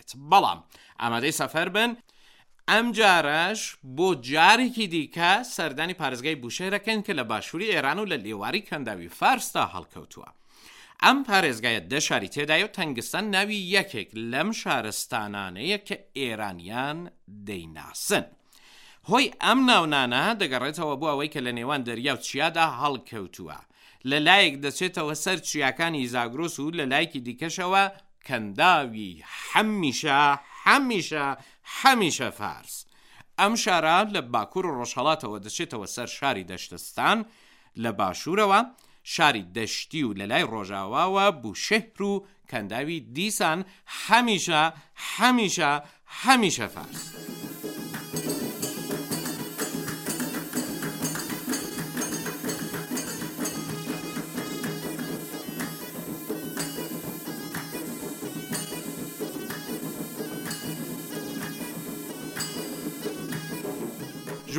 دەبێت. بەڵام ئامادەی سەفەر بن، ئەمجارەش بۆ جارێکی دیکە سەردانی پارێزگای بوشەهر ئەکەین کە لە باشووری ئێران و لە لێواری کەنداوی فارسدا هەڵکەوتووە. ئەم پارێزگایە دە شاری تێدایە و تەنگستان ناوی یەکێک لەم شارستانانەیە کە ئێرانیان دەیناسن. هۆی ئەم ناونانە دەگەڕێتەوە بۆ ئەوەی کە لە نێوان دەریا و چیادا هەڵکەوتووە. لە لایەک دەچێتەوە سەر چیاکانی زاگرۆس و لە لایەکی دیکەشەوە کەنداوی حەمیشە حەمیشە حەمیشە فارس. ئەم شارە لە باکوور و ڕۆژهەڵاتەوە دەچێتەوە سەر شاری دەشتستان، لە باشوورەوە شاری دەشتی و لە لای ڕۆژاواوە بوشەهر و کەنداوی دیسان هەمیشە هەمیشە هەمیشە فارس.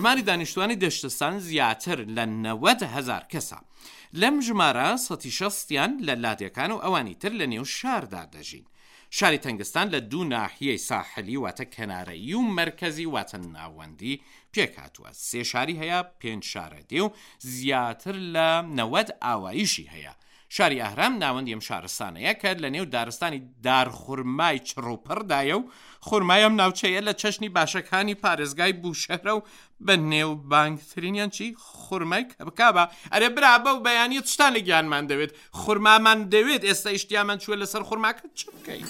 ژماری دانیشتوانی دەشتستان زیاتر لە 90 هەزار کەسە. لەم ژمارە سەتی شەستیان لە لادێکان و ئەوانی تر لە نێو شاردا دەژین. شاری تەنگستان لە دوو ناحیەی ساحلی واتە کەنارەیی و مەرکەزی واتە ناوەندی پێکهاتووە. سێ شاری هەیە، پێنج شارەدێ و زیاتر لە 90 ئاواییشی هەیە. شاری ئەهرام ناوەندی ئەم شارستانەیە کە لە نێو دارستانی دارخورمای چڕ و پڕدایە و خورمای ئەم ناوچەیە لە چەشنی باشەکانی پارێزگای بوشەهرە و بە نێوبانگترینیان چی خورمای کەبکابە ئەرێ برا بەو بەیانیە چتان لە گیانمان دەوێت خورمامان دەوێت ئێستا ئیشتیامان چووە لەسەر خورماکە چ بکەین؟